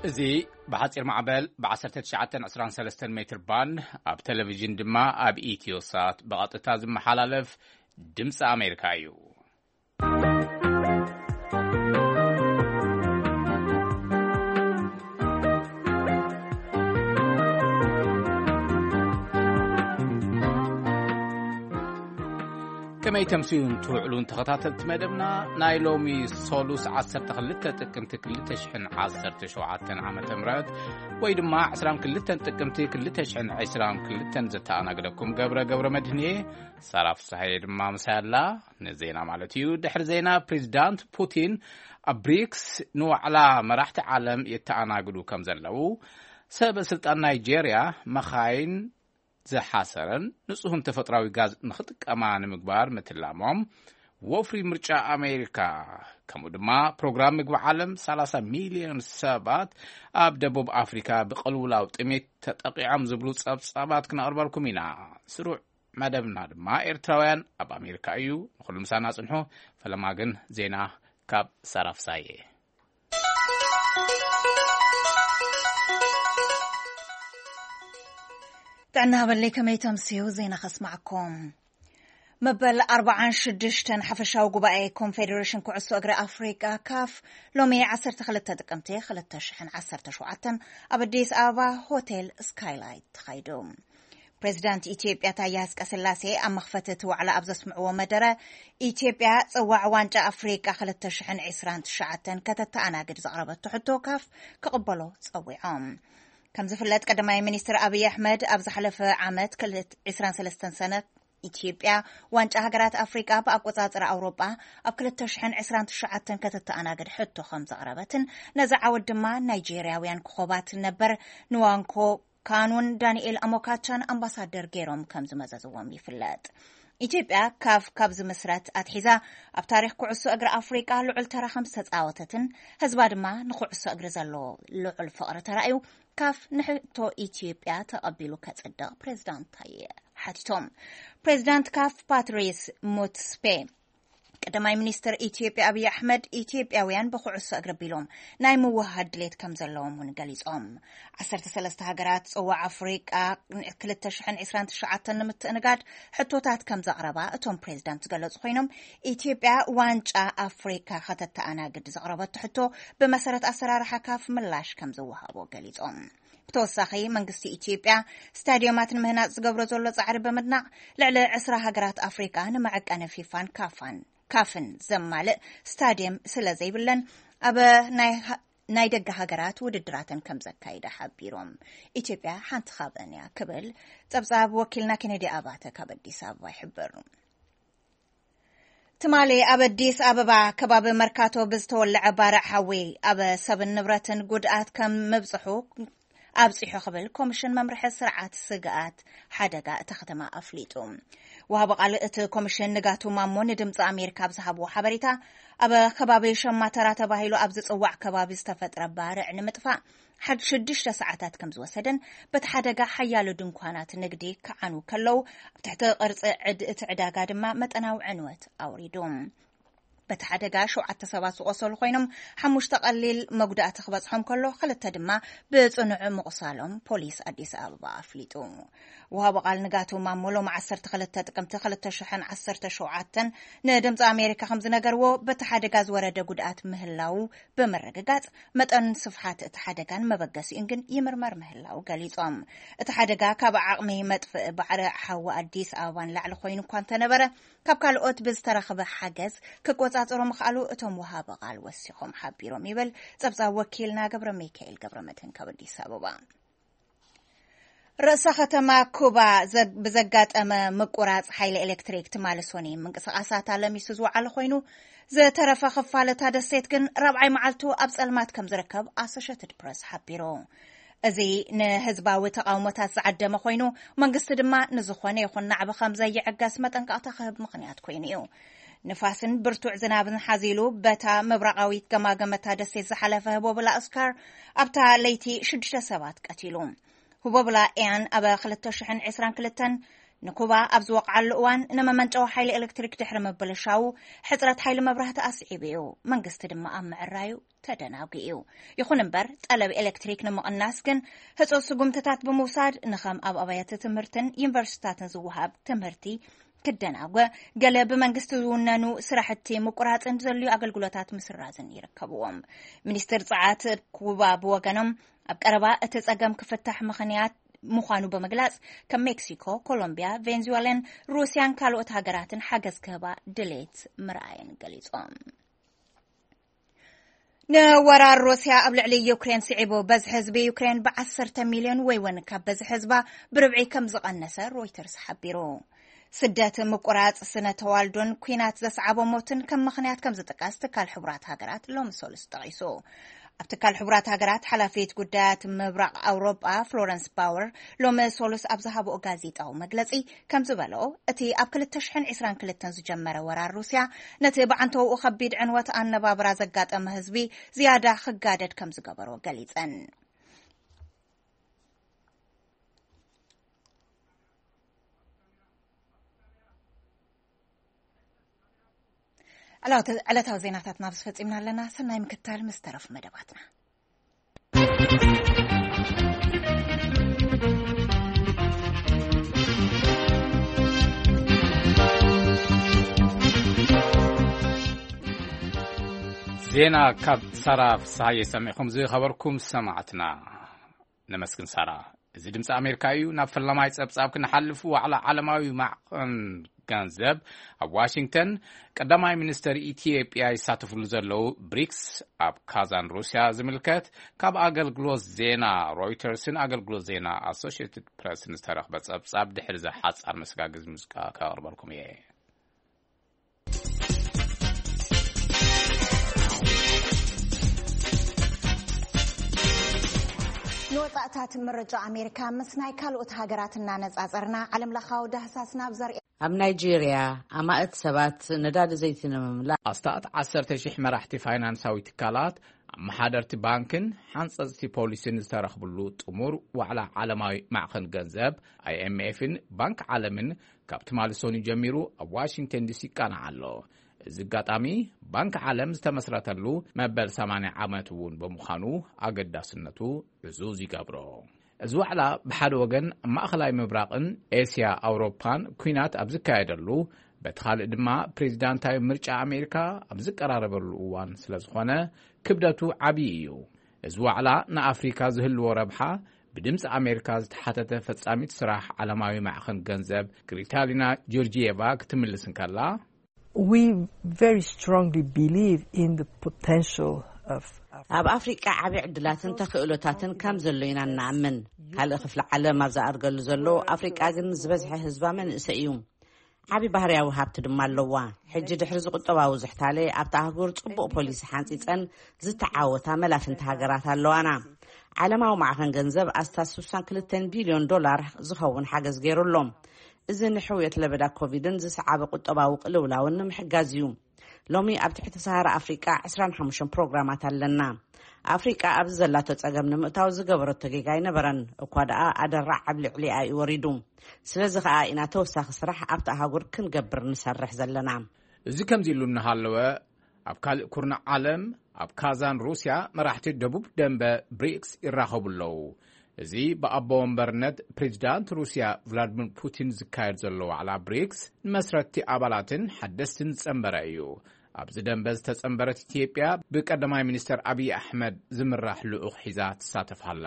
እዚ ብሓጺር ማዕበል ብ1923 ሜትር ባንድ፣ ኣብ ቴሌቪዥን ድማ ኣብ ኢትዮ ሳት ብቐጥታ ዝመሓላለፍ ድምፂ ኣሜሪካ እዩ። ከመይ ተምስዩን ትውዕሉን ተኸታተልቲ መደብና፣ ናይ ሎሚ ሰሉስ 12 ጥቅምቲ 2017 ዓመተ ምህረት፣ ወይ ድማ 22 ጥቅምቲ 2022 ዘተኣናግደኩም ገብረ ገብረ መድህን እየ። ሳራ ፍስሓየ ድማ ምሳይ ኣላ፣ ንዜና ማለት እዩ። ድሕሪ ዜና፣ ፕሬዚዳንት ፑቲን ኣብ ብሪክስ ንዋዕላ መራሕቲ ዓለም የተኣናግዱ ከም ዘለዉ፣ ሰበ ስልጣን ናይጄርያ መኻይን ዝሓሰረን ንጹህን ተፈጥራዊ ጋዝ ንኽጥቀማ ንምግባር ምትላሞም፣ ወፍሪ ምርጫ ኣሜሪካ፣ ከምኡ ድማ ፕሮግራም ምግቢ ዓለም 30 ሚልዮን ሰባት ኣብ ደቡብ ኣፍሪካ ብቅልውላው ጥሜት ተጠቂዖም ዝብሉ ጸብጻባት ክነቕርበልኩም ኢና። ስሩዕ መደብና ድማ ኤርትራውያን ኣብ ኣሜሪካ እዩ። ንኹሉ ምሳና ጽንሑ። ፈለማ ግን ዜና ካብ ሳራ ፍሳዬ። ጥዕና በለይ፣ ከመይ ተምስዩ? ዜና ከስማዕኩም። መበል 46 ሓፈሻዊ ጉባኤ ኮንፌዴሬሽን ኩዕሶ እግሪ ኣፍሪቃ፣ ካፍ፣ ሎሚ 12 ጥቅምቲ 2017 ኣብ ኣዲስ ኣበባ ሆቴል ስካይላይት ተኻይዱ። ፕሬዚዳንት ኢትዮጵያ ታዬ ኣጽቀስላሴ ኣብ መኽፈቲ እቲ ዋዕላ ኣብ ዘስምዕዎ መደረ፣ ኢትዮጵያ ጽዋዕ ዋንጫ ኣፍሪቃ 2029 ከተተኣናግድ ዘቕረበቶ ሕቶ ካፍ ክቕበሎ ጸዊዖም። ከም ዝፍለጥ፣ ቀዳማይ ሚኒስትር ኣብይ ኣሕመድ ኣብ ዝሓለፈ ዓመት ክልተ- 23 ሰነ ኢትዮጵያ ዋንጫ ሃገራት ኣፍሪቃ ብኣቆጻጽራ ኣውሮጳ ኣብ 2029 ከተተኣናግድ ሕቶ ከም ዘቕረበትን ነዚ ዓወት ድማ ናይጄርያውያን ኮኾባት ነበር ንዋንኮ ካኑን ዳንኤል ኣሞካቻን ኣምባሳደር ገይሮም ከም ዝመዘዝዎም ይፍለጥ። ኢትዮጵያ ካፍ ካብ ዝምስረት ኣትሒዛ ኣብ ታሪኽ ኩዕሶ እግሪ ኣፍሪቃ ልዑል ተራ ከም ዝተጻወተትን ህዝባ ድማ ንኩዕሶ እግሪ ዘለዎ ልዑል ፍቕሪ ተራእዩ፣ ካፍ ንሕቶ ኢትዮጵያ ተቐቢሉ ከጽድቕ ፕሬዚዳንት ታዬ ሓቲቶም። ፕሬዚዳንት ካፍ ፓትሪስ ሙትስፔ፣ ቀዳማይ ሚኒስትር ኢትዮጵያ ኣብይ ኣሕመድ፣ ኢትዮጵያውያን ብኩዕሶ እግሪ ቢሎም ናይ ምውሃድ ድሌት ከም ዘለዎም እውን ገሊጾም። 13 ሃገራት ጽዋዕ ኣፍሪቃ 2029 ንምትእንጋድ ሕቶታት ከም ዘቕረባ እቶም ፕሬዚዳንት ዝገለጹ ኮይኖም፣ ኢትዮጵያ ዋንጫ ኣፍሪካ ከተተኣናግድ ዘቕረበቶ ሕቶ ብመሰረት ኣሰራርሓ ካፍ ምላሽ ከም ዝወሃቦ ገሊጾም። ብተወሳኺ፣ መንግስቲ ኢትዮጵያ ስታዲዮማት ንምህናጽ ዝገብሮ ዘሎ ጻዕሪ ብምድናቕ፣ ልዕሊ 20 ሃገራት ኣፍሪቃ ንመዐቀኒ ፊፋን ካፋን ካፍን ዘማልእ ስታዲየም ስለ ዘይብለን፣ ኣብ ናይ ሃ- ናይ ደገ ሃገራት ውድድራተን ከም ዘካይዳ ሓቢሮም። ኢትዮጵያ ሓንቲ ካብአን እያ ክብል ጸብጻብ ወኪልና ኬኔዲ ኣባተ ካብ ኣዲስ ኣበባ ይሕብር። ትማሊ ኣብ ኣዲስ ኣበባ ከባቢ መርካቶ ብዝተወለዐ ባርዕ ሓዊ ኣብ ሰብን ንብረትን ጉድኣት ከም ምብጽሑ ኣብጺሑ ክብል ኮሚሽን መምርሒ ስርዓት ስግኣት ሓደጋ እታ ከተማ ኣፍሊጡ። ወሃቢ ቃል እቲ ኮሚሽን ንጋቱ ማሞ ንድምፂ ኣሜሪካ ኣብ ዝሃብዎ ሓበሬታ፣ ኣብ ከባቢ ሸማተራ ተባሂሉ ኣብ ዝፅዋዕ ከባቢ ዝተፈጥረ ባርዕ ንምጥፋእ ሓድ ሽዱሽተ ሰዓታት ከም ዝወሰደን፣ በቲ ሓደጋ ሓያሎ ድንኳናት ንግዲ ክዓኑ ከለዉ፣ ኣብ ትሕቲ ቅርፂ ዕድ-፣ እቲ ዕዳጋ ድማ መጠናዊ ዕንወት ኣውሪዱ። በቲ ሓደጋ ሸውዓተ ሰባት ዝቆሰሉ ኮይኖም፣ ሓሙሽተ ቀሊል መጉዳእቲ ክበፅሖም ከሎ፣ ክልተ ድማ ብፅኑዕ ምቑሳሎም ፖሊስ ኣዲስ ኣበባ ኣፍሊጡ። ወሃቢ ቃል ንጋቱ ማሞ ሎም 12 ጥቅምቲ 2017 ንድምፂ ኣሜሪካ ከም ዝነገርዎ፣ በቲ ሓደጋ ዝወረደ ጉድኣት ምህላው ብምርግጋፅ፣ መጠን ስፍሓት እቲ ሓደጋን መበገሲኡን ግን ይምርመር ምህላው ገሊፆም። እቲ ሓደጋ ካብ ዓቕሚ መጥፍእ ባዕሪ ሓዊ ኣዲስ ኣበባ ንላዕሊ ኮይኑ እኳ እንተነበረ፣ ካብ ካልኦት ብዝተረኽበ ሓገዝ ክቆጻጸሮ ምኽኣሉ እቶም ወሃቢ ቃል ወሲኾም ሓቢሮም ይብል ጸብጻብ ወኪልና ገብረ ሚካኤል ገብረ መድህን ካብ ኣዲስ ኣበባ። ርእሰ ከተማ ኩባ ዘግ-፣ ብዘጋጠመ ምቁራጽ ሓይሊ ኤሌክትሪክ ትማሊ ሶኒ ምንቅስቓሳታ ለሚሱ ዝወዓለ ኮይኑ፣ ዝተረፈ ክፋል እታ ደሴት ግን ራብዓይ መዓልቱ ኣብ ጸልማት ከም ዝርከብ ኣሶሼትድ ፕረስ ሓቢሩ። እዚ ንህዝባዊ ተቓውሞታት ዝዓደመ ኮይኑ፣ መንግስቲ ድማ ንዝኾነ ይኹን ናዕቢ ከም ዘይዕገስ መጠንቀቕታ ክህብ ምኽንያት ኮይኑ እዩ። ንፋስን ብርቱዕ ዝናብን ሓዚሉ፣ በታ ምብራቓዊት ገማገመታ ደሴት ዝሓለፈ ህቦብላ ኦስካር ኣብታ ለይቲ ሽዱሽተ ሰባት ቀቲሉ። ህቦብላ ኤያን ኣብ 2022 ንኩባ ኣብ ዝወቕዓሉ እዋን ንመመንጨዊ ሓይሊ ኤሌክትሪክ ድሕሪ ምብልሻዉ፣ ሕጽረት ሓይሊ መብራህቲ ኣስዒቡ እዩ። መንግስቲ ድማ ኣብ ምዕራዩ ተደናጒ እዩ። ይኹን እምበር፣ ጠለብ ኤሌክትሪክ ንምቕናስ ግን ህጹጽ ስጉምትታት ብምውሳድ፣ ንኸም ኣብ ኣብያተ ትምህርትን ዩኒቨርሲቲታትን ዝወሃብ ትምህርቲ ክደናጎ፣ ገለ ብመንግስቲ ዝውነኑ ስራሕቲ ምቁራጽን ዘድልዩ ኣገልግሎታት ምስራዝን ይርከብዎም። ሚኒስትር ጸዓት ኩባ ብወገኖም፣ ኣብ ቀረባ እቲ ጸገም ክፍታሕ ምኽንያት ምዃኑ ብምግላጽ፣ ከም ሜክሲኮ፣ ኮሎምቢያ፣ ቬንዙዌላን ሩስያን ካልኦት ሃገራትን ሓገዝ ክህባ ድሌት ምርኣየን ገሊጾም። ንወራር ሩስያ ኣብ ልዕሊ ዩክሬን ስዒቡ፣ በዝሒ ህዝቢ ዩክሬን ብ10 ሚልዮን ወይ እውን ካብ በዝሒ ህዝባ ብርብዒ ከም ዝቐነሰ ሮይተርስ ሓቢሩ። ስደት፣ ምቁራጽ ስነ ተዋልዶን ኲናት ዘስዓቦ ሞትን ከም ምኽንያት ከም ዝጥቀስ ትካል ሕቡራት ሃገራት ሎሚ ሰሉስ ጠቒሱ። ኣብ ትካል ሕቡራት ሃገራት ሓላፊት ጉዳያት ምብራቕ ኣውሮጳ ፍሎረንስ ባወር ሎሚ ሰሉስ ኣብ ዝሃብኦ ጋዜጣዊ መግለጺ ከም ዝበልኦ፣ እቲ ኣብ ክልተ ሽሕን ዕስራን ክልተን ዝጀመረ ወራር ሩስያ ነቲ ብዓንተውኡ ከቢድ ዕንወት ኣነባብራ ዘጋጠመ ህዝቢ ዝያዳ ክጋደድ ከም ዝገበሮ ገሊጸን። ዕለተ-፣ ዕለታዊ ዜናታትና ኣብዚ ፈጺምና ኣለና። ሰናይ ምክታል ምስ ተረፉ መደባትና። ዜና ካብ ሳራ ፍስሃየ ሰሚዕኹም ዝኸበርኩም ሰማዕትና። ነመስግን ሳራ። እዚ ድምፂ ኣሜሪካ እዩ። ናብ ፈላማይ ፀብፃብ ክንሓልፍ፣ ዋዕላ ዓለማዊ ማዕቐን ገንዘብ ኣብ ዋሽንግተን፣ ቀዳማይ ሚኒስተር ኢትዮጵያ ይሳተፍሉ ዘለዉ ብሪክስ ኣብ ካዛን ሩስያ ዝምልከት ካብ ኣገልግሎት ዜና ሮይተርስን ኣገልግሎት ዜና ኣሶሽየትድ ፕረስን ዝተረኽበ ጸብጻብ ድሕሪ ዘሓጻር መሰጋገዚ ሙዚቃ ከቕርበልኩም እየ። ንወጻእታት ምርጫ ኣሜሪካ ምስ ናይ ካልኦት ሃገራት እናነጻጸርና፣ ዓለምለኻዊ ዳህሳስ ናብ ዘርኢ ኣብ ናይጄርያ፣ ኣማእት ሰባት ነዳዲ ዘይቲ ንምምላእ ኣስታት ዓሰርተ ሺሕ መራሕቲ ፋይናንሳዊ ትካላት፣ ኣመሓደርቲ ባንክን ሓንጸጽቲ ፖሊስን ዝተረኽብሉ ጥሙር ዋዕላ ዓለማዊ ማዕኸን ገንዘብ፣ ኣይኤምኤፍን ባንክ ዓለምን፣ ካብ ትማሊ ሰኑይ ጀሚሩ ኣብ ዋሽንግተን ዲሲ ይቃናዕ ኣሎ። እዚ ኣጋጣሚ፣ ባንክ ዓለም ዝተመስረተሉ መበል ሰማንያ ዓመት እውን ብምዃኑ፣ ኣገዳስነቱ ዕዙዝ ይገብሮ። እዚ ዋዕላ፣ ብሓደ ወገን ኣብ ማእኸላይ ምብራቕን ኤስያ ኣውሮፓን ኲናት ኣብ ዝካየደሉ፣ በቲ ካልእ ድማ ፕሬዚዳንታዊ ምርጫ ኣሜሪካ ኣብ ዝቀራረበሉ እዋን ስለ ዝኾነ፣ ክብደቱ ዓብዪ እዩ። እዚ ዋዕላ ንኣፍሪካ ዝህልዎ ረብሓ፣ ብድምፂ ኣሜሪካ ዝተሓተተ ፈጻሚት ስራሕ ዓለማዊ ማዕኸን ገንዘብ ክሪታሊና ጆርጂየቫ ክትምልስ እንከላ፣ We very strongly believe in the potential of ኣብ ኣፍሪቃ ዓቢ ዕድላትን ተኽእሎታትን ከም ዘሎ ኢና እንኣምን። ካልእ ክፍሊ ዓለም ኣብ ዝኣድገሉ ዘሎ፣ ኣፍሪቃ ግን ዝበዝሐ ህዝባ መንእሰይ እዩ። ዓቢ ባህርያዊ ሃብቲ ድማ ኣለዋ። ሕጂ ድሕሪ ዝቁጠባዊ ዝሕታለ፣ ኣብታ ኣህጉር ጽቡቕ ፖሊሲ ሓንጺጸን ዝተዓወታ መላፍንቲ ሃገራት ኣለዋና። ዓለማዊ ማዕኸን ገንዘብ ኣስታት ስሳን ክልተን ቢልዮን ዶላር ዝኸውን ሓገዝ ገይሩ ኣሎ። እዚ ንሕውየት ለበዳ ኮቪድን ዝሰዓበ ቁጠባዊ ቅልውላውን ንምሕጋዝ እዩ። ሎሚ ኣብ ትሕቲ ሰሃራ ኣፍሪቃ ዕስራን ሓሙሽተን ፕሮግራማት ኣለና። ኣፍሪቃ ኣብዚ ዘላቶ ጸገም ንምእታው ዝገበረቶ ጌጋ ኣይነበረን፣ እኳ ደኣ ኣደራዕ ኣብ ልዕሊኣ እዩ ወሪዱ። ስለዚ ኸኣ ኢና ተወሳኺ ስራሕ ኣብቲ ኣህጉር ክንገብር ንሰርሕ ዘለና። እዚ ከምዚ ኢሉ እናሃለወ፣ ኣብ ካልእ ኩርናዕ ዓለም፣ ኣብ ካዛን ሩስያ፣ መራሕቲ ደቡብ ደንበ ብሪክስ ይራኸቡ ኣለዉ። እዚ ብኣቦ ወንበርነት ፕሬዚዳንት ሩስያ ቭላድሚር ፑቲን ዝካየድ ዘሎ ዋዕላ ብሪክስ፣ ንመስረትቲ ኣባላትን ሓደስትን ዝጸንበረ እዩ። ኣብዚ ደንበ ዝተጸንበረት ኢትዮጵያ፣ ብቀዳማይ ሚኒስተር ኣብይ ኣሕመድ ዝምራሕ ልኡኽ ሒዛ ትሳተፍ ኣላ።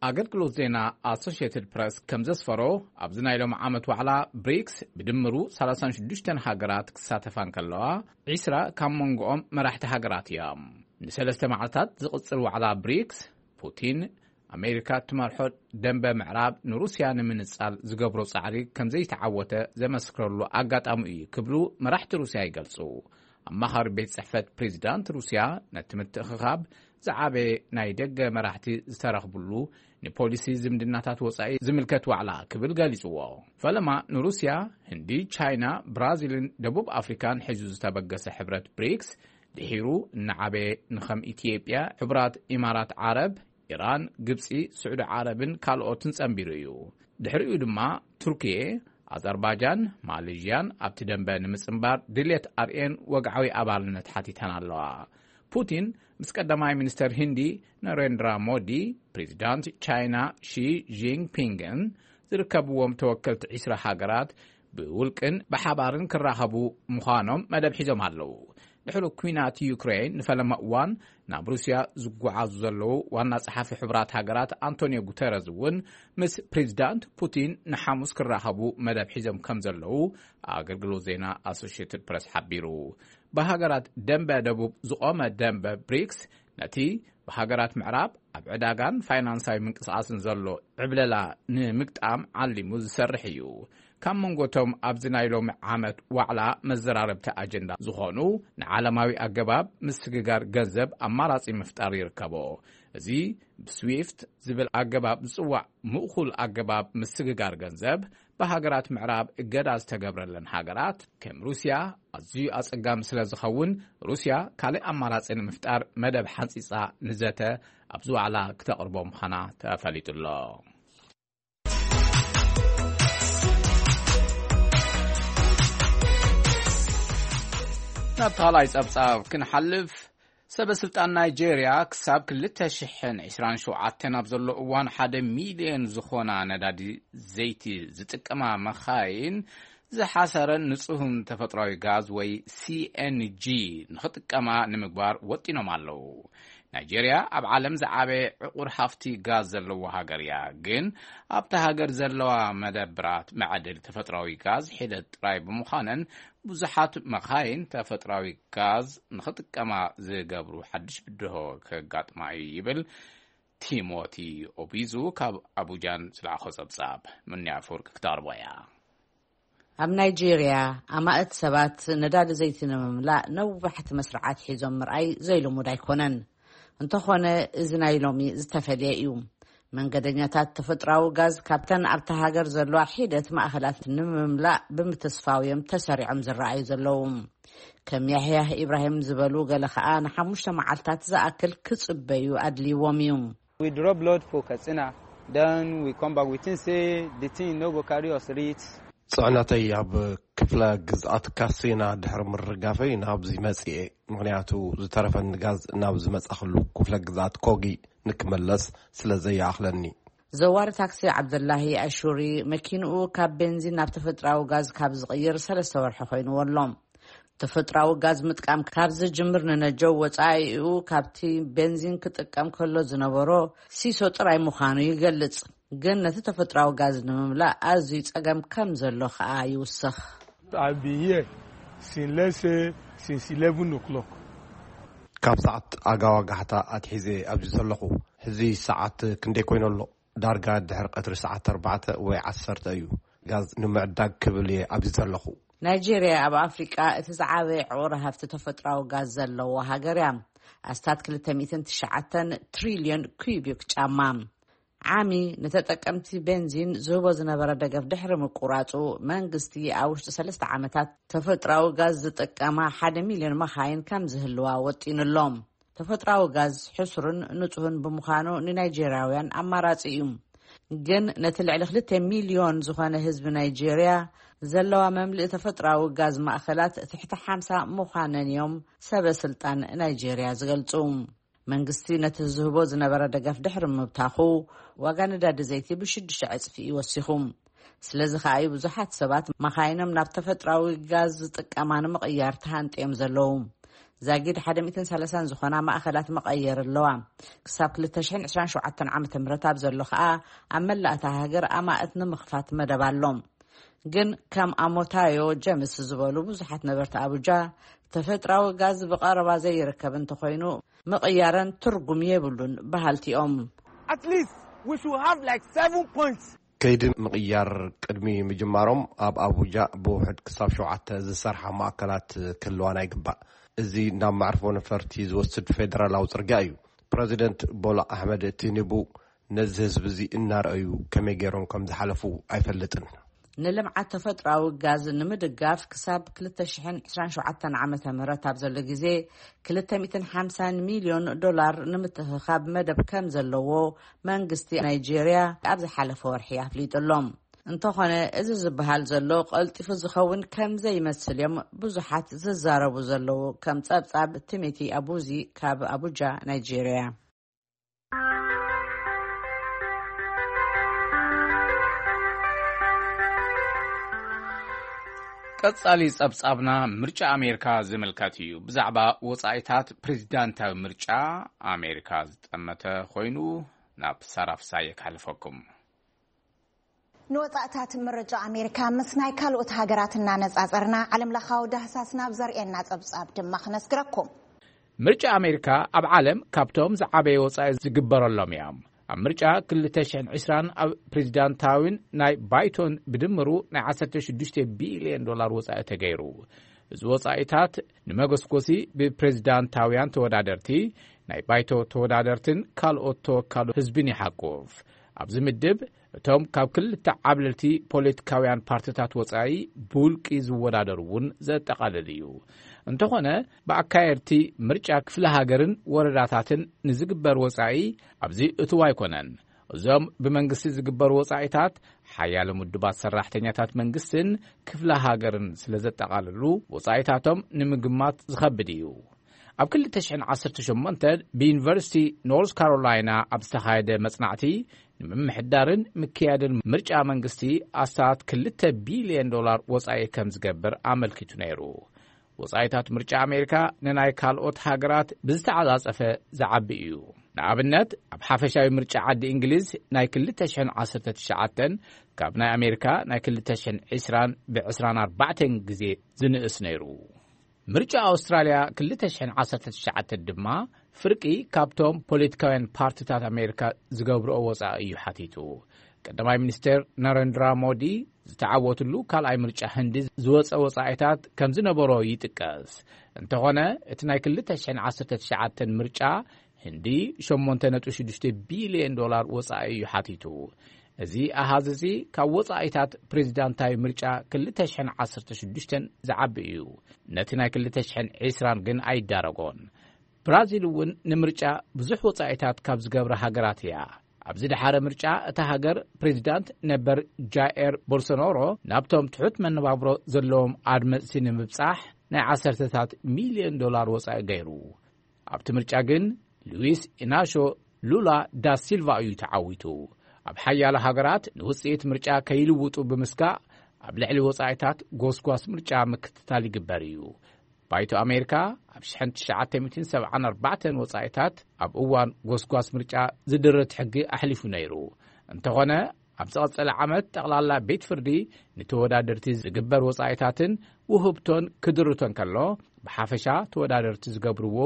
ኣገልግሎት ዜና ኣሶሽየትድ ፕረስ ከም ዘስፈሮ፣ ኣብዚ ናይ ሎሚ ዓመት ዋዕላ ብሪክስ ብድምሩ ሰላሳን ሽዱሽተን ሃገራት ክሳተፋ እንከለዋ፣ ዒስራ ካብ መንጎኦም መራሕቲ ሃገራት እዮም። ንሰለስተ መዓልታት ዝቕጽል ዋዕላ ብሪክስ፣ ፑቲን፣ ኣሜሪካ እትመርሖ ደንበ ምዕራብ ንሩስያ ንምንጻል ዝገብሮ ጻዕሪ ከም ዘይተዓወተ ዘመስክረሉ ኣጋጣሚ እዩ ክብሉ መራሕቲ ሩስያ ይገልጹ። ኣማኻሪ ቤት ጽሕፈት ፕሬዚዳንት ሩስያ ነቲ ምትእኽኻብ ዝዓበየ ናይ ደገ መራሕቲ ዝተረኽብሉ ንፖሊሲ ዝምድናታት ወጻኢ ዝምልከት ዋዕላ ክብል ገሊጽዎ። ፈለማ ንሩስያ፣ ህንዲ፣ ቻይና፣ ብራዚልን ደቡብ ኣፍሪካን ሒዙ ዝተበገሰ ሕብረት ብሪክስ ድሒሩ እናዓበየ ንኸም ኢትዮጵያ፣ ሕቡራት ኢማራት ዓረብ፣ ኢራን፣ ግብጺ፣ ስዑዲ ዓረብን ካልኦትን ጸንቢሩ እዩ። ድሕሪኡ ድማ ቱርኪየ፣ ኣዘርባጃን ማሌዥያን ኣብቲ ደንበ ንምጽንባር ድሌት ኣርእየን ወግዓዊ ኣባልነት ሓቲተን ኣለዋ። ፑቲን ምስ ቀዳማይ ሚኒስተር ሂንዲ ነሬንድራ ሞዲ፣ ፕሬዚዳንት ቻይና ሺ ጂንፒንግን ዝርከብዎም ተወከልቲ ዒስራ ሃገራት ብውልቅን ብሓባርን ክራኸቡ ምዃኖም መደብ ሒዞም ኣለዉ። ድሕሪ ኲናት ዩክሬን ንፈለማ እዋን ናብ ሩስያ ዝጓዓዙ ዘለዉ ዋና ጸሓፊ ሕቡራት ሃገራት ኣንቶኒዮ ጉተረዝ እውን ምስ ፕሬዚዳንት ፑቲን ንሓሙስ ክራኸቡ መደብ ሒዞም ከም ዘለዉ ኣገልግሎት ዜና ኣሶሽየትድ ፕረስ ሓቢሩ። ብሃገራት ደንበ ደቡብ ዝቖመ ደንበ ብሪክስ ነቲ ብሃገራት ምዕራብ ኣብ ዕዳጋን ፋይናንሳዊ ምንቅስቓስን ዘሎ ዕብለላ ንምግጣም ዓሊሙ ዝሰርሕ እዩ። ካብ መንጎቶም ኣብዚ ናይ ሎሚ ዓመት ዋዕላ መዘራረብቲ ኣጀንዳ ዝኾኑ ንዓለማዊ ኣገባብ ምስግጋር ገንዘብ ኣማራጺ ምፍጣር ይርከቦ። እዚ ብስዊፍት ዝብል ኣገባብ ዝጽዋዕ ምእኹል ኣገባብ ምስግጋር ገንዘብ ብሃገራት ምዕራብ እገዳ ዝተገብረለን ሃገራት ከም ሩስያ ኣዝዩ ኣጸጋሚ ስለ ዝኸውን፣ ሩስያ ካልእ ኣማራጺ ንምፍጣር መደብ ሓንጺጻ ንዘተ ኣብዚ ዋዕላ ክተቕርቦ ምዃና ተፈሊጡ ኣሎ። ናብ ካልኣይ ጸብጻብ ክንሓልፍ፣ ሰበ ስልጣን ናይጄርያ ክሳብ ክልተ ሽሕን ዕስራን ሸውዓተን ኣብ ዘሎ እዋን ሓደ ሚልዮን ዝኾና ነዳዲ ዘይቲ ዝጥቀማ መኻይን ዝሓሰረን ንጹህን ተፈጥሯዊ ጋዝ ወይ ሲ ኤን ጂ ንኽጥቀማ ንምግባር ወጢኖም ኣለዉ። ናይጄርያ ኣብ ዓለም ዝዓበየ ዕቑር ሃፍቲ ጋዝ ዘለዎ ሃገር እያ። ግን ኣብታ ሃገር ዘለዋ መደብራት መዕድል ተፈጥሯዊ ጋዝ ሒደት ጥራይ ብምዃነን፣ ብዙሓት መኻይን ተፈጥሯዊ ጋዝ ንኽጥቀማ ዝገብሩ ሓድሽ ብድሆ ከጋጥማ እዩ ይብል ቲሞቲ ኦቢዙ ካብ ኣቡጃን ዝለኣኾ ጸብጻብ። ምንያ ኣፈወርቂ ክተቕርቦ እያ። ኣብ ናይጄርያ ኣማእት ሰባት ነዳዲ ዘይቲ ንምምላእ ነዋሕቲ መስርዓት ሒዞም ምርኣይ ዘይልሙድ ኣይኮነን። እንተኾነ፣ እዚ ናይ ሎሚ ዝተፈልየ እዩ። መንገደኛታት ተፈጥራዊ ጋዝ ካብተን ኣብታ ሃገር ዘለዋ ሒደት ማእኸላት ንምምላእ ብምትስፋው እዮም ተሰሪዖም ዝረኣዩ ዘለዉ። ከም ያህያህ ኢብራሂም ዝበሉ ገለ ኸኣ ንሓሙሽተ መዓልታት ዝኣክል ክጽበዩ ኣድልይዎም እዩ። We drop load for Katsina, then we come back. We think say the thing no go carry us reach. ጽዕነተይ ኣብ ክፍለ ግዝኣት ካሲና ድሕሪ ምርጋፈይ ናብዚ መጽኤ፣ ምኽንያቱ ዝተረፈኒ ጋዝ ናብ ዝመጻኽሉ ክፍለ ግዝኣት ኮጊ ንክመለስ ስለ ዘይኣኽለኒ። ዘዋሪ ታክሲ ዓብደላሂ ኣሹሪ መኪንኡ ካብ ቤንዚን ናብ ተፈጥራዊ ጋዝ ካብ ዝቕይር ሰለስተ ወርሒ ኮይንዎ ኣሎ። ተፈጥራዊ ጋዝ ምጥቃም ካብ ዝጅምር ንነጀው ወጻኢኡ ካብቲ ቤንዚን ክጥቀም ከሎ ዝነበሮ ሲሶ ጥራይ ምዃኑ ይገልጽ። ግን ነቲ ተፈጥራዊ ጋዝ ንምምላእ ኣዝዩ ጸገም ከም ዘሎ ከኣ ይውስኽ። I've been here since, let's say, since eleven o'clock. ካብ ሰዓት ኣጋዋጋሕታ ኣትሒዘ ኣብዚ ዘለኹ። ሕዚ ሰዓት ክንደይ ኮይኑ ኣሎ? ዳርጋ ድሕሪ ቀትሪ ሰዓት ኣርባዕተ ወይ ዓሰርተ እዩ። ጋዝ ንምዕዳግ ክብል እየ ኣብዚ ዘለኹ። ናይጄርያ ኣብ ኣፍሪቃ እቲ ዝዓበየ ዕቑር ሃፍቲ ተፈጥራዊ ጋዝ ዘለዎ ሃገር እያ። ኣስታት ክልተ ሚእትን ትሽዓተን ትሪልዮን ኩቢክ ጫማ። ዓሚ ንተጠቀምቲ ቤንዚን ዝህቦ ዝነበረ ደገፍ ድሕሪ ምቁራጹ፣ መንግስቲ ኣብ ውሽጢ ሰለስተ ዓመታት ተፈጥራዊ ጋዝ ዝጥቀማ ሓደ ሚልዮን መኻይን ከም ዝህልዋ ወጢኑ ኣሎ። ተፈጥራዊ ጋዝ ሕሱርን ንጹህን ብምዃኑ ንናይጄርያውያን ኣማራጺ እዩ። ግን ነቲ ልዕሊ ክልተ ሚልዮን ዝኾነ ህዝቢ ናይጄርያ ዘለዋ መምልኢ ተፈጥራዊ ጋዝ ማእኸላት ትሕቲ ሓምሳ ምዃነን እዮም ሰበ ስልጣን ናይጄርያ ዝገልጹ። መንግስቲ ነቲ ዝህቦ ዝነበረ ደገፍ ድሕሪ ምብታኹ፣ ዋጋ ነዳዲ ዘይቲ ብሽዱሽተ ዕጽፊ እዩ ወሲኹ። ስለዚ ከኣ እዩ ብዙሓት ሰባት መኻይኖም ናብ ተፈጥራዊ ጋዝ ዝጥቀማ ንምቕያር ተሃንጥዮም ዘለዉ። ዛጊድ ሓደ ሚእትን ሰላሳን ዝኾና ማእኸላት መቐየር ኣለዋ። ክሳብ ክልተ ሽሕን ዕስራን ሸውዓተን ዓመተ ምህረት ኣብ ዘሎ ከኣ ኣብ መላእ እታ ሃገር ኣማእት ንምኽፋት መደብ ኣሎ። ግን ከም ኣሞታዮ ጀምስ ዝበሉ ብዙሓት ነበርቲ ኣቡጃ፣ ተፈጥራዊ ጋዝ ብቐረባ ዘይርከብ እንተኾይኑ ምቕያረን ትርጉም የብሉን በሃልቲ እዮም። At least we should have like seven points. ከይዲ ምቕያር ቅድሚ ምጅማሮም ኣብ ኣቡጃ ብውሕድ ክሳብ ሸውዓተ ዝሰርሓ ማእከላት ክህልዋና ይግባእ። እዚ ናብ መዕርፎ ነፈርቲ ዝወስድ ፌደራላዊ ጽርግያ እዩ። ፕረዚደንት ቦላ ኣሕመድ ቲኒቡ ነዚ ህዝቢ እዚ እናረኣዩ ከመይ ገይሮም ከም ዝሓለፉ ኣይፈልጥን። ንልምዓት ተፈጥሮኣዊ ጋዝ ንምድጋፍ ክሳብ ክልተ ሽሕን ዕስራን ሸውዓተን ዓመተ ምህረት ኣብ ዘሎ ግዜ ክልተ ሚእትን ሓምሳን ሚልዮን ዶላር ንምትእኽኻብ መደብ ከም ዘለዎ መንግስቲ ናይጄርያ ኣብ ዝሓለፈ ወርሒ ኣፍሊጡ ኣሎ። እንተኾነ፣ እዚ ዝበሃል ዘሎ ቀልጢፉ ዝኸውን ከም ዘይመስል እዮም ብዙሓት ዝዛረቡ ዘለዉ፣ ከም ጸብጻብ ቲሚቲ ኣቡዚ ካብ ኣቡጃ፣ ናይጄርያ። ቀጻሊ ጸብጻብና ምርጫ ኣሜሪካ ዝምልከት እዩ። ብዛዕባ ወጻኢታት ፕሬዚዳንታዊ ምርጫ ኣሜሪካ ዝጠመተ ኮይኑ ናብ ሳራ ፍሳየ ክሓልፈኩም። ንወጻእታት ምርጫ ኣሜሪካ ምስ ናይ ካልኦት ሃገራት እናነጻጸርና፣ ዓለምለኻዊ ዳህሳስ ናብ ዘርእየና ጸብጻብ ድማ ክነስግረኩም። ምርጫ ኣሜሪካ ኣብ ዓለም ካብቶም ዝዓበየ ወጻኢ ዝግበረሎም እዮም። ኣብ ምርጫ ክልተ ሽሕን ዕስራን ኣብ ፕሬዚዳንታዊን ናይ ባይቶን ብድምሩ ናይ ዓሰርተ ሽዱሽተ ቢልዮን ዶላር ወጻኢ ተገይሩ። እዚ ወጻኢታት ንመጎስጎሲ ብፕሬዚዳንታውያን ተወዳደርቲ፣ ናይ ባይቶ ተወዳደርትን ካልኦት ተወካሉ ህዝብን ይሓቁፍ። ኣብዚ ምድብ እቶም ካብ ክልተ ዓብለልቲ ፖለቲካውያን ፓርቲታት ወጻኢ ብውልቂ ዝወዳደሩ እውን ዘጠቓልል እዩ። እንተኾነ፣ ብኣካየድቲ ምርጫ ክፍለ ሃገርን ወረዳታትን ንዝግበር ወጻኢ ኣብዚ እትው ኣይኮነን። እዞም ብመንግስቲ ዝግበሩ ወጻኢታት ሓያለ ምዱባት ሰራሕተኛታት መንግስትን ክፍለ ሃገርን ስለ ዘጠቓልሉ፣ ወጻኢታቶም ንምግማት ዝኸብድ እዩ። ኣብ ክልተ ሽሕን ዓሰርተ ሸሞንተ ብዩኒቨርሲቲ ኖርዝ ካሮላይና ኣብ ዝተኻየደ መጽናዕቲ፣ ንምምሕዳርን ምክያድን ምርጫ መንግስቲ ኣስታት ክልተ ቢልዮን ዶላር ወጻኢ ከም ዝገብር ኣመልኪቱ ነይሩ። ወጻኢታት ምርጫ ኣሜሪካ ንናይ ካልኦት ሃገራት ብዝተዓጻጸፈ ዝዓቢ እዩ። ንኣብነት፣ ኣብ ሓፈሻዊ ምርጫ ዓዲ እንግሊዝ ናይ ክልተ ሽሕን ዓሰርተ ትሽዓተን ካብ ናይ ኣሜሪካ ናይ ክልተ ሽሕን ዕስራን ብዕስራን ኣርባዕተን ግዜ ዝንእስ ነይሩ። ምርጫ ኣውስትራልያ ክልተ ሽሕን ዓሰርተ ትሽዓተ ድማ ፍርቂ ካብቶም ፖለቲካውያን ፓርቲታት ኣሜሪካ ዝገብርኦ ወጻኢ እዩ ሓቲቱ። ቀዳማይ ሚኒስትር ናረንድራ ሞዲ ዝተዓወትሉ ካልኣይ ምርጫ ህንዲ ዝወጸ ወጻኢታት ከም ዝነበሮ ይጥቀስ። እንተኾነ፣ እቲ ናይ ክልተ ሽሕን ዓሰርተ ትሽዓተን ምርጫ ህንዲ ሸሞንተ ነጥቢ ሽዱሽተ ቢልዮን ዶላር ወጻኢ እዩ ሓቲቱ። እዚ ኣሃዝ እዚ ካብ ወጻኢታት ፕሬዚዳንታዊ ምርጫ ክልተ ሽሕን ዓሰርተ ሽዱሽተን ዝዓቢ እዩ። ነቲ ናይ ክልተ ሽሕን ዕስራን ግን ኣይዳረጎን። ብራዚል እውን ንምርጫ ብዙሕ ወጻኢታት ካብ ዝገብራ ሃገራት እያ። ኣብዚ ደሓረ ምርጫ እታ ሃገር ፕሬዚዳንት ነበር ጃኤር ቦልሶናሮ ናብቶም ትሑት መነባብሮ ዘለዎም ኣድመፅቲ ንምብጻሕ ናይ ዓሰርተታት ሚልዮን ዶላር ወጻኢ ገይሩ። ኣብቲ ምርጫ ግን ሉዊስ ኢናሾ ሉላ ዳ ሲልቫ እዩ ተዓዊቱ። ኣብ ሓያሎ ሃገራት ንውጽኢት ምርጫ ከይልውጡ ብምስጋእ ኣብ ልዕሊ ወጻኢታት ጎስጓስ ምርጫ ምክትታል ይግበር እዩ። ባይቶ ኣሜሪካ ኣብ ሽሕን ትሽዓተ ሚእትን ሰብዓን ኣርባዕተን ወጻኢታት ኣብ እዋን ጎስጓስ ምርጫ ዝድርት ሕጊ ኣሕሊፉ ነይሩ። እንተኾነ፣ ኣብ ዝቐጸለ ዓመት ጠቕላላ ቤት ፍርዲ ንተወዳደርቲ ዝግበር ወጻኢታትን ውህብቶን ክድርቶ እንከሎ፣ ብሓፈሻ ተወዳደርቲ ዝገብርዎ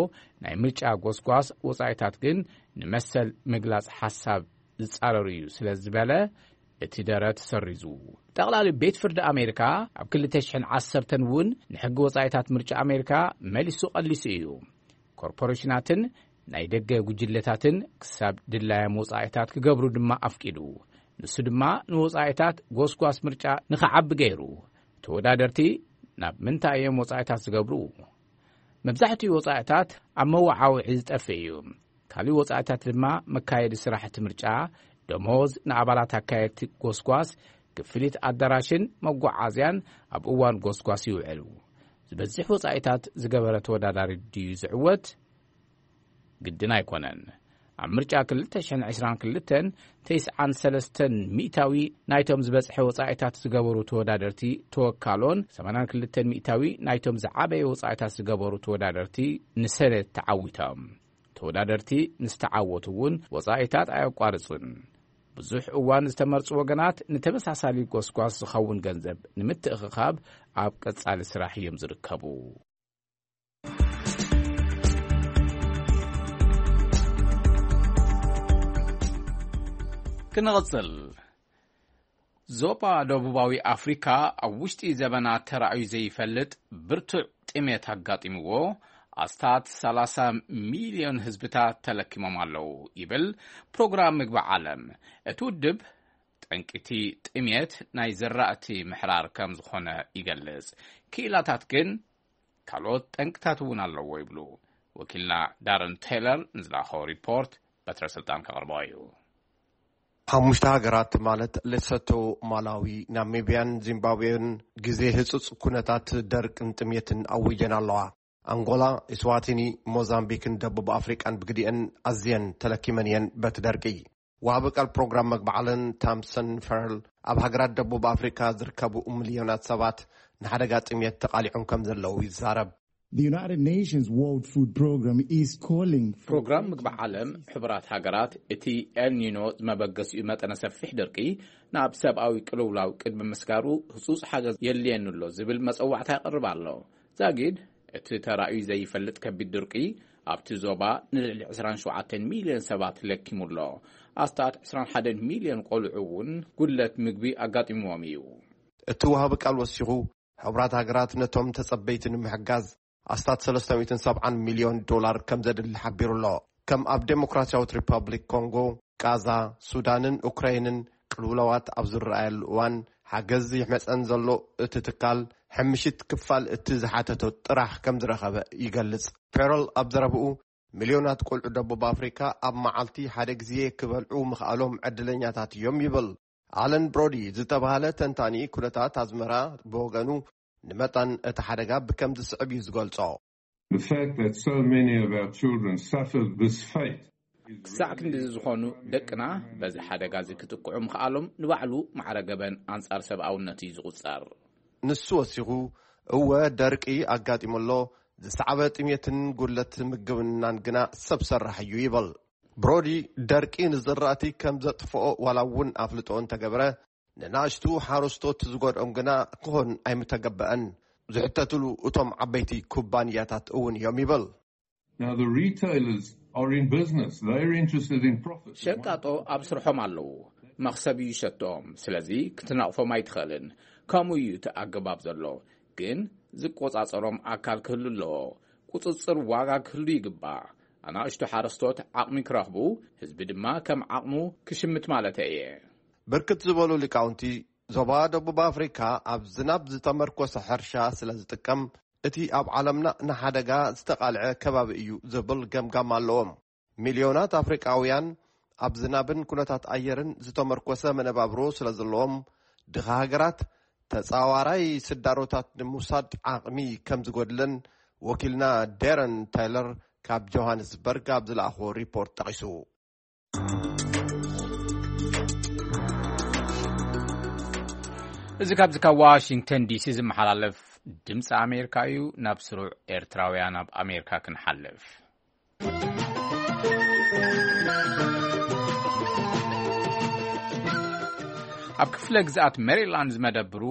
ናይ ምርጫ ጎስጓስ ወጻኢታት ግን ንመሰል ምግላጽ ሓሳብ ዝጻረር እዩ ስለ ዝበለ፣ እቲ ደረት ሰሪዙ። ጠቕላሊ ቤት ፍርዲ ኣሜሪካ ኣብ ክልተ ሽሕን ዓሰርተን እውን ንሕጊ ወጻኢታት ምርጫ ኣሜሪካ መሊሱ ቀሊሱ እዩ። ኮርፖሬሽናትን ናይ ደገ ጉጅለታትን ክሳብ ድላዮም ወጻኢታት ክገብሩ ድማ ኣፍቂዱ። ንሱ ድማ ንወጻኢታት ጎስጓስ ምርጫ ንኽዓቢ ገይሩ። ተወዳደርቲ ናብ ምንታይ እዮም ወጻኢታት ዝገብሩ? መብዛሕትኡ ወጻኢታት ኣብ መወዓውዒ ዝጠፍእ እዩ። ካልእ ወጻኢታት ድማ መካየዲ ስራሕቲ ምርጫ፣ ደሞዝ ንኣባላት ኣካየድቲ ጎስጓስ፣ ክፍሊት ኣዳራሽን መጓዓዝያን ኣብ እዋን ጎስጓስ ይውዕሉ። ዝበዝሕ ወጻኢታት ዝገበረ ተወዳዳሪ ድዩ ዝዕወት? ግድን ኣይኮነን። ኣብ ምርጫ ክልተ ሽሕን ዕስራን ክልተን፣ ተስዓን ሰለስተን ሚእታዊ ናይቶም ዝበጽሐ ወጻኢታት ዝገበሩ ተወዳደርቲ ተወካሎን፣ ሰማንያን ክልተን ሚእታዊ ናይቶም ዝዓበየ ወጻኢታት ዝገበሩ ተወዳደርቲ ንሰነት ተዓዊቶም። ተወዳደርቲ ምስ ተዓወቱ እውን ወጻኢታት ኣየቋርጹን። ብዙሕ እዋን ዝተመርጹ ወገናት ንተመሳሳሊ ጎስጓስ ዝኸውን ገንዘብ ንምትእኽኻብ ኣብ ቀጻሊ ስራሕ እዮም ዝርከቡ። ክንቕጽል። ዞባ ደቡባዊ ኣፍሪካ ኣብ ውሽጢ ዘበናት ተራእዩ ዘይፈልጥ ብርቱዕ ጥሜት ኣጋጢምዎ፣ ኣስታት ሰላሳ ሚልዮን ህዝብታት ተለኪሞም ኣለዉ ይብል ፕሮግራም ምግቢ ዓለም። እቲ ውድብ ጠንቂቲ ጥሜት ናይ ዘራእቲ ምሕራር ከም ዝኾነ ይገልጽ። ክኢላታት ግን ካልኦት ጠንቅታት እውን ኣለዎ ይብሉ። ወኪልና ዳረን ቴይለር ንዝለኣኸዎ ሪፖርት በትረ ስልጣን ከቕርቦ እዩ። ሓሙሽተ ሃገራት ማለት ሌሶቶ፣ ማላዊ፣ ናሚብያን ዚምባብዌን ግዜ ህጹጽ ኩነታት ደርቅን ጥሜትን ኣዊጀን ኣለዋ። ኣንጎላ፣ ኢስዋቲኒ፣ ሞዛምቢክን ደቡብ ኣፍሪቃን ብግዲአን ኣዝየን ተለኪመን እየን በቲ ደርቂ። ወሃቢ ቃል ፕሮግራም መግቢ ዓለም ታምሰን ፈርል ኣብ ሃገራት ደቡብ ኣፍሪካ ዝርከቡ ሚልዮናት ሰባት ንሓደጋ ጥሜት ተቓሊዖም ከም ዘለዉ ይዛረብ። The United Nations World Food Program is calling for ፕሮግራም ምግቢ ዓለም ሕቡራት ሃገራት እቲ ኤልኒኖ መበገሲኡ መጠነ ሰፊሕ ደርቂ ናብ ሰብኣዊ ቅልውላው ቅድሚ ምስጋሩ ህጹጽ ሓገዝ የድልየኒ ኣሎ ዝብል መጸዋዕታ የቕርብ ኣሎ። ዛጊድ እቲ ተራእዩ ዘይፈልጥ ከቢድ ድርቂ ኣብቲ ዞባ ንልዕሊ ዕስራን ሸውዓተን ሚልዮን ሰባት ለኪሙ ኣሎ። ኣስታት ዕስራን ሓደን ሚልዮን ቆልዑ እውን ጉድለት ምግቢ ኣጋጢምዎም እዩ። እቲ ወሃቢ ቃል ወሲኹ፣ ሕቡራት ሃገራት ነቶም ተጸበይቲ ንምሕጋዝ ኣስታት ሰለስተ ሚእትን ሰብዓን ሚልዮን ዶላር ከም ዘድሊ ሓቢሩ ኣሎ። ከም ኣብ ዴሞክራሲያዊት ሪፓብሊክ ኮንጎ፣ ቃዛ፣ ሱዳንን ኡክራይንን ቅልውላዋት ኣብ ዝረኣየሉ እዋን፣ ሓገዝ ይመጸን ዘሎ እቲ ትካል ሕምሽት ክፋል እቲ ዝሓተቶ ጥራሕ ከም ዝረኸበ ይገልጽ። ፔሮል ኣብ ዘረብኡ፣ ሚልዮናት ቆልዑ ደቡብ ኣፍሪካ ኣብ መዓልቲ ሓደ ግዜ ክበልዑ ምኽኣሎም ዕድለኛታት እዮም ይብል። ኣለን ብሮዲ ዝተባህለ ተንታኒ ኩነታት ኣዝመራ ብወገኑ፣ ንመጠን እቲ ሓደጋ ብከም ዝስዕብ እዩ ዝገልጾ። The fact that so many of our children suffer this fate is ክሳዕ ክንድዚ ዝኾኑ ደቅና በዚ ሓደጋ እዚ ክጥቅዑ ምኽኣሎም ንባዕሉ ማዕረ ገበን ኣንጻር ሰብኣውነት እዩ ዝቑጸር። ንሱ ወሲኹ፣ እወ፣ ደርቂ ኣጋጢሙ ኣሎ፣ ዝሰዕበ ጥሜትን ጉድለት ምግብናን ግና ሰብ ሰራሕ እዩ ይብል። ብሮዲ፣ ደርቂ ንዝራእቲ ከም ዘጥፍኦ ዋላ እውን ኣፍልጦ እንተገበረ፣ ንናእሽቱ ሓረስቶት ዝጎድኦም ግና ክኾን ኣይምተገበአን። ዝሕተትሉ እቶም ዓበይቲ ኩባንያታት እውን እዮም ይብል። Now, the retailers are in business. They're interested in profit. ሸቃጦ ኣብ ስርሖም ኣለዉ፣ መኽሰብ እዩ ሸትኦም። ስለዚ ክትነቕፎም ኣይትኽእልን። ከምኡ እዩ እቲ ኣገባብ ዘሎ። ግን ዝቆጻጸሮም ኣካል ክህሉ ኣለዎ። ቁጽጽር ዋጋ ክህሉ ይግባእ። ኣናእሽቱ ሓረስቶት ዓቕሚ ክረኽቡ፣ ህዝቢ ድማ ከም ዓቕሙ ክሽምት ማለተይ እየ። ብርክት ዝበሉ ሊቃውንቲ፣ ዞባ ደቡብ ኣፍሪካ ኣብ ዝናብ ዝተመርኮሰ ሕርሻ ስለ ዝጥቀም፣ እቲ ኣብ ዓለምና ንሓደጋ ዝተቓልዐ ከባቢ እዩ ዝብል ገምጋም ኣለዎም። ሚልዮናት ኣፍሪቃውያን ኣብ ዝናብን ኩነታት ኣየርን ዝተመርኮሰ መነባብሮ ስለ ዘለዎም፣ ድኻ ሃገራት ተጻዋራይ ስዳሮታት ንምውሳድ ዓቕሚ ከም ዝጎድለን ወኪልና ዴረን ታይለር ካብ ጆሃንስበርግ ኣብ ዝለኣኽዎ ሪፖርት ጠቒሱ። እዚ ካብዚ ካብ ዋሽንግተን ዲሲ ዝመሓላለፍ ድምፂ ኣሜሪካ እዩ። ናብ ስሩዕ ኤርትራውያን ኣብ ኣሜሪካ ክንሓልፍ። ኣብ ክፍለ ግዝኣት ሜሪላንድ ዝመደብሩ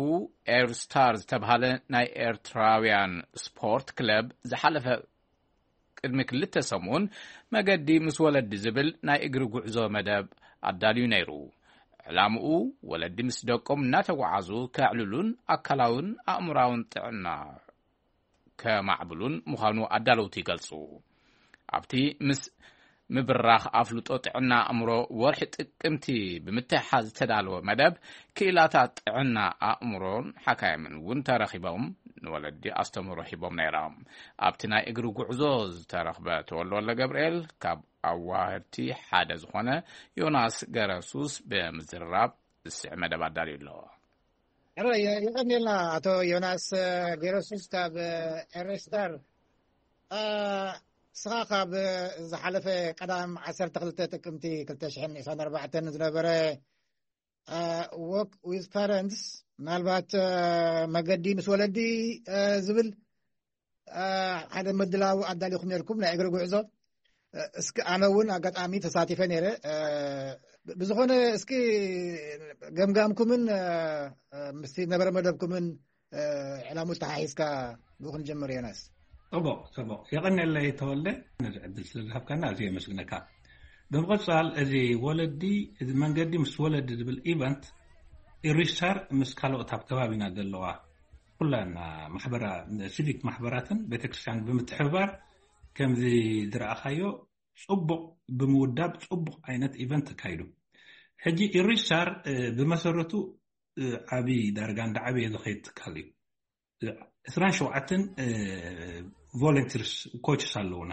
ኤርስታር ዝተብሃለ ናይ ኤርትራውያን ስፖርት ክለብ ዝሓለፈ ቅድሚ ክልተ ሰሙን መገዲ ምስ ወለዲ ዝብል ናይ እግሪ ጉዕዞ መደብ ኣዳልዩ ነይሩ። ዕላምኡ ወለዲ ምስ ደቆም እናተጓዓዙ ከዕልሉን ኣካላውን ኣእምራውን ጥዕና ከማዕብሉን ምዃኑ ኣዳለውቲ ይገልጹ። ኣብቲ ምስ ምብራኽ ኣፍልጦ ጥዕና ኣእምሮ ወርሒ ጥቅምቲ ብምትሕሓዝ ዝተዳለወ መደብ፣ ክኢላታት ጥዕና ኣእምሮን ሓካይምን እውን ተረኺቦም ንወለዲ ኣስተምህሮ ሂቦም ነይሮም። ኣብቲ ናይ እግሪ ጉዕዞ ዝተረኽበ ተወልደ ወልደ ገብርኤል ካብ ኣዋህድቲ ሓደ ዝኾነ ዮናስ ገረሱስ ብምዝርራብ ዝስዕ መደብ ኣዳልዩ ኣሎ። ሕራይ፣ የቐንየልና ኣቶ ዮናስ ገረሱስ ካብ ኤሬስታር። እ፣ ንስኻ ካብ ዝሓለፈ ቀዳም ዓሰርተ ክልተ ጥቅምቲ ክልተ ሽሕን ዕስራን ኣርባዕተን ዝነበረ፣ እ፣ ዎክ ዊዝ ፓረንትስ፣ ምናልባት፣ እ፣ መገዲ ምስ ወለዲ፣ እ፣ ዝብል፣ እ፣ ሓደ ምድላው ኣዳሊኹም ነርኩም ናይ እግሪ ጉዕዞ። እ፣ እስኪ ኣነ እውን ኣጋጣሚ ተሳቲፈ ነይረ። እ፣ ብዝኾነ እስኪ ገምጋምኩምን፣ እ፣ እ፣ ምስቲ ነበረ መደብኩምን፣ እ፣ ዕላሙ ተሓሒዝካ ብኡ ክንጀምር ዮናስ። ጽቡቕ፣ ጽቡቕ። የቐንየለይ ተወልደ፣ ነዚ ዕድል ስለ ዝሃብካና ኣዝየ የመስግነካ። ብምቕጻል፣ እዚ ወለዲ፣ እዚ መንገዲ ምስ ወለዲ ዝብል ኢቨንት፣ ኢሪስታር ምስ ካልኦት ኣብ ከባቢና ዘለዋ ኩለን ማሕበራ-፣ ሲቪክ ማሕበራትን ቤተክርስትያን ብምትሕብባር፣ ከምዚ ዝረኣኻዮ፣ ጽቡቕ ብምውዳብ፣ ጽቡቕ ዓይነት ኢቨንት ተካይዱ። ሕጂ ኢሪሻር ብመሰረቱ ዓብዪ ዳርጋ እንዳ ዓብየ ዝኸይድ ትካል እዩ። ዕስራን ሸውዓተን ቮለንቲርስ ኮችስ ኣለውና።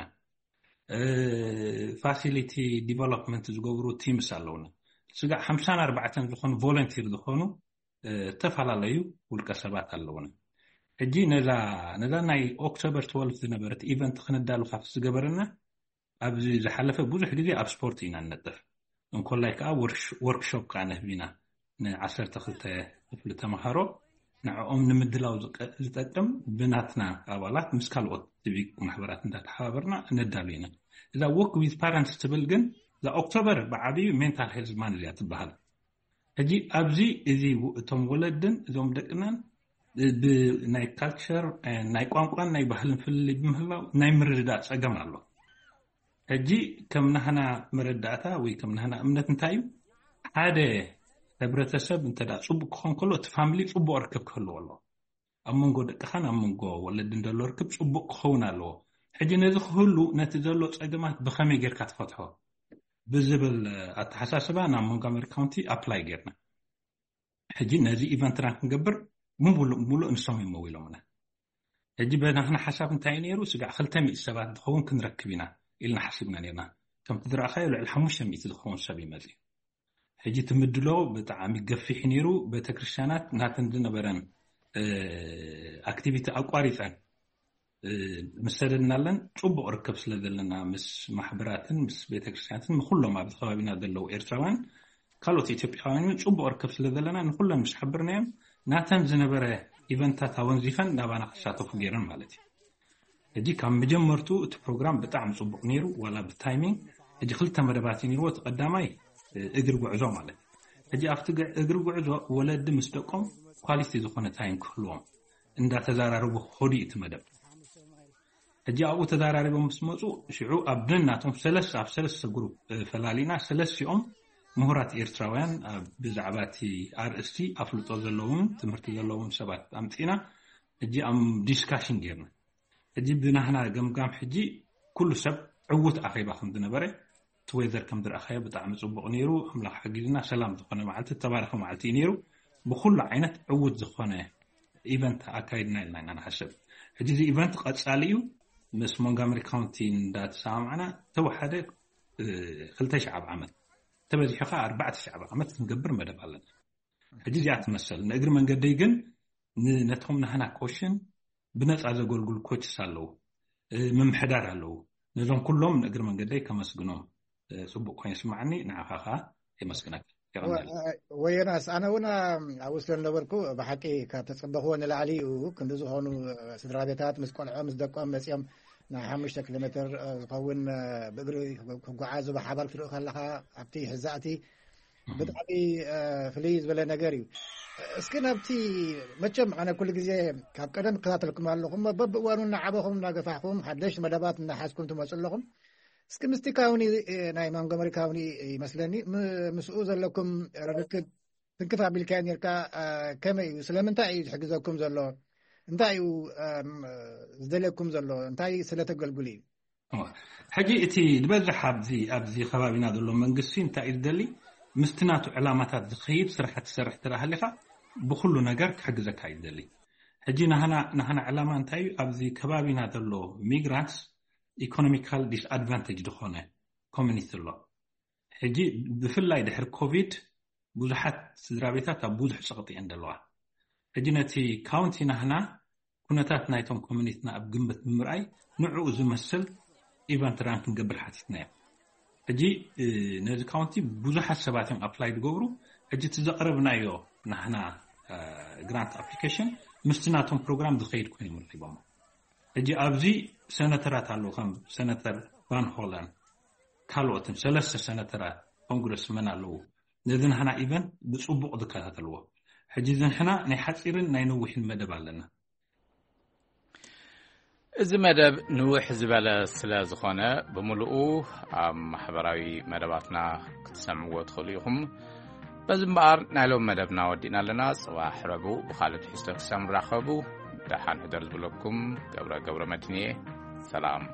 ፋሲሊቲ ዲቨሎፕመንት ዝገብሩ ቲምስ ኣለውና። ስጋዕ ሓምሳን ኣርባዕተን ዝኾኑ ቮለንቲር ዝኾኑ ዝተፈላለዩ ውልቀ ሰባት ኣለውና። ሕጂ ነዛ ነዛ ናይ ኦክቶበር ትወልፍ ዝነበረት ኢቨንት ክነዳሉ ካብ ዝገበረና ኣብዚ ዝሓለፈ ብዙሕ ግዜ ኣብ ስፖርት ኢና ንነጥፍ። እንኮላይ ከዓ ወርክሾፕ ከዓ ነህብ ኢና። ንዓሰርተ ክልተ ክፍሊ ተምሃሮ ንዕኦም ንምድላው ዝጠቅም ብናትና ኣባላት ምስ ካልኦት ሲቪክ ማሕበራት እንዳተሓባበርና ነዳሉ ኢና። እዛ ወክ ዊዝ ፓረንትስ ትብል ግን እዛ ኦክቶበር ብዓብዩ ሜንታል ሄልዝ ማን እዚኣ ትበሃል። ሕጂ ኣብዚ እዚ እቶም ወለድን እዞም ደቅናን ብናይ ካልቸር ናይ ቋንቋን ናይ ባህልን ፍልልይ ብምህላው ናይ ምርድዳእ ፀገም ኣሎ። ሕጂ ከም ናህና መረዳእታ ወይ ከም ናህና እምነት እንታይ እዩ? ሓደ ሕብረተሰብ እንተ ደኣ ጽቡቕ ክኸውን ከሎ እቲ ፋሚሊ ጽቡቕ ርክብ ክህልዎ ኣለዎ። ኣብ መንጎ ደቅኻን ኣብ መንጎ ወለድን ዘሎ ርክብ ጽቡቕ ክኸውን ኣለዎ። ሕጂ ነዚ ክህሉ ነቲ ዘሎ ጸገማት ብኸመይ ጌርካ ትፈትሖ ብዝብል ኣተሓሳስባ ናብ ሞንትጎመሪ ካውንቲ ኣፕላይ ጌርና። ሕጂ ነዚ ኢቨንትና ክንገብር ምሉእ ምሉእ ንሶም እዮም መዊሎምና። ሕጂ በናትና ሓሳብ እንታይ እዩ ነይሩ? ስጋዕ ክልተ ሚእቲ ሰባት ዝኸውን ክንረክብ ኢና ኢልና ሓሲብና ነርና። ከምቲ ዝረኣኻዮ ልዕሊ ሓሙሽተ ሚእቲ ዝኸውን ሰብ ይመጽእ። ሕጂ እቲ ምድሎ ብጣዕሚ ገፊሕ ነይሩ። ቤተክርስትያናት ናተን ዝነበረን ኣክቲቪቲ ኣቋሪፀን ምስ ሰደድናለን ጽቡቕ ርክብ ስለ ዘለና ምስ ማሕበራትን ምስ ቤተክርስትያናትን ንኩሎም ኣብዚ ከባቢና ዘለዉ ኤርትራውያን ካልኦት ኢትዮጵያውያን እውን ጽቡቕ ርክብ ስለ ዘለና ንኩለን ምስ ሓበርናዮም ናተን ዝነበረ ኢቨንታት ኣወንዚፈን ናባና ክሳተፉ ገይረን ማለት እዩ። ሕጂ ካብ መጀመርቱ እቲ ፕሮግራም ብጣዕሚ ጽቡቕ ነይሩ፣ ዋላ ብታይሚንግ። ሕጂ ክልተ መደባት እዩ ነይርዎ። እቲ ቀዳማይ እግሪ ጉዕዞ ማለት እዩ። ሕጂ ኣብቲ እግሪ ጉዕዞ ወለዲ ምስ ደቆም ኳሊቲ ዝኾነ ታይም ክህልዎም እንዳተዛራረቡ ክኸዱ እዩ እቲ መደብ። ሕጂ ኣብኡ ተዛራሪቦም ምስ መፁ ሽዑ ኣብ ነናቶም ሰለስተ ኣብ ሰለስተ ግሩፕ ፈላሊና ሰለስቲኦም ምሁራት ኤርትራውያን ብዛዕባ እቲ ኣርእስቲ ኣፍልጦ ዘለዎም ትምህርቲ ዘለዎም ሰባት ኣምፂና ሕጂ ኣብ ዲስካሽን ጌርና። ሕጂ ብናህና ገምጋም ሕጂ ኩሉ ሰብ ዕዉት ኣኼባ ከም ዝነበረ እቲ ዌዘር ከም ዝረኣኻዮ ብጣዕሚ ጽቡቕ ነይሩ። ኣምላኽ ሓጊዝና ሰላም ዝኾነ መዓልቲ ተባረኸ መዓልቲ እዩ ነይሩ። ብኩሉ ዓይነት ዕዉት ዝኾነ ኢቨንት ኣካይድና ኢልና ኢና ንሓስብ። ሕጂ እዚ ኢቨንት ቀጻሊ እዩ። ምስ ሞንጋመሪ ካውንቲ እንዳተሰማማዕና ተወሓደ ክልተ ሺሕ ዓመት ተበዚሑ ከዓ ኣርባዕተ ሺሕ ዓመት ክንገብር መደብ ኣለና። ሕጂ እዚኣ ትመሰል ንእግሪ መንገደይ ግን ነቶም ናህና ኮሽን ብነፃ ዘገልግሉ ኮችስ ኣለዉ፣ ምምሕዳር ኣለዉ። ነዞም ኩሎም ንእግሪ መንገደይ ከመስግኖም ፅቡቅ ኮይኑ ይስማዓኒ። ንዓኻ ከዓ የመስግነካ። ወየናስ ኣነ እውን ኣብኡ ስለ ዝነበርኩ ብሓቂ ካብ ተፀበኽዎ ንላዕሊ እዩ። ክንዲ ዝኾኑ ስድራ ቤታት ምስ ቆልዖ ምስ ደቆም መፂኦም ናይ ሓሙሽተ ኪሎ ሜትር ዝኸውን ብእግሪ ክጓዓዙ ብሓባር ክትርኢ ከለካ ኣብቲ ሕዛእቲ ብጣዕሚ ፍልይ ዝበለ ነገር እዩ። እስኪ ናብቲ መቸም ኣነ ኩሉ ግዜ ካብ ቀደም እከታተልኩም ኣለኹም በብእዋኑ እናዓበኹም እናገፋሕኩም ሓደሽቲ መደባት እናሓዝኩም ትመፁ ኣለኹም። እስኪ ምስቲ ካውኒ ናይ ማንጎመሪ ካውኒ ይመስለኒ ምስኡ ዘለኩም ርክብ ትንክፍ ኣቢልካዮ ኔርካ። ከመይ እዩ ስለምንታይ እዩ ዝሕግዘኩም ዘሎ እንታይ እዩ ዝደልየኩም ዘሎ እንታይ ስለተገልግሉ እዩ? ሕጂ እቲ ዝበዝሕ ኣብዚ ኣብዚ ከባቢና ዘሎ መንግስቲ እንታይ እዩ ዝደሊ? ምስቲ ናቱ ዕላማታት ዝኸይድ ስራሕቲ ትሰርሕ ትረኣ ሃሊኻ ብኩሉ ነገር ክሕግዘካ እዩ ዝደሊ። ሕጂ ናህና ናህና ዕላማ እንታይ እዩ? ኣብዚ ከባቢና ዘሎ ሚግራንትስ ኢኮኖሚካል ዲስኣድቫንቴጅ ዝኾነ ኮሚኒቲ ኣሎ። ሕጂ ብፍላይ ድሕሪ ኮቪድ ብዙሓት ስድራ ቤታት ኣብ ብዙሕ ፀቕጢ እየን ዘለዋ። ሕጂ ነቲ ካውንቲ ናህና ኩነታት ናይቶም ኮሚኒቲና ኣብ ግምት ብምርኣይ ንዕኡ ዝመስል ኢቨንት ራን ክንገብር ሓቲትና እዮም። ሕጂ ነዚ ካውንቲ ብዙሓት ሰባት እዮም ኣፕላይ ዝገብሩ። ሕጂ እቲ ዘቕረብናዮ ናህና ግራንት ኣፕሊኬሽን ምስቲ ናቶም ፕሮግራም ዝኸይድ ኮይኖም ረኪቦሞ። ሕጂ ኣብዚ ሰነተራት ኣለዉ ከም ሰነተር ቫን ሆለን ካልኦትን ሰለስተ ሰነተራት ኮንግረስመን ኣለዉ። ነዚ ናህና ኢቨንት ብፅቡቕ ዝከታተልዎ። ሕጂ እዚ ንሕና ናይ ሓፂርን ናይ ነዊሕን መደብ ኣለና። እዚ መደብ ንውሕ ዝበለ ስለ ዝኾነ ብምልኡ ኣብ ማሕበራዊ መደባትና ክትሰምዕዎ ትኽእሉ ኢኹም። በዚ እምበኣር ናይ ሎም መደብና ወዲእና ኣለና። ጽባሕ ረቡዕ ብኻልእ ትሕዝቶ ክሳብ ንራኸቡ ደሓን ሕደር ዝብለኩም ገብረ ገብረ መድህን እየ። ሰላም።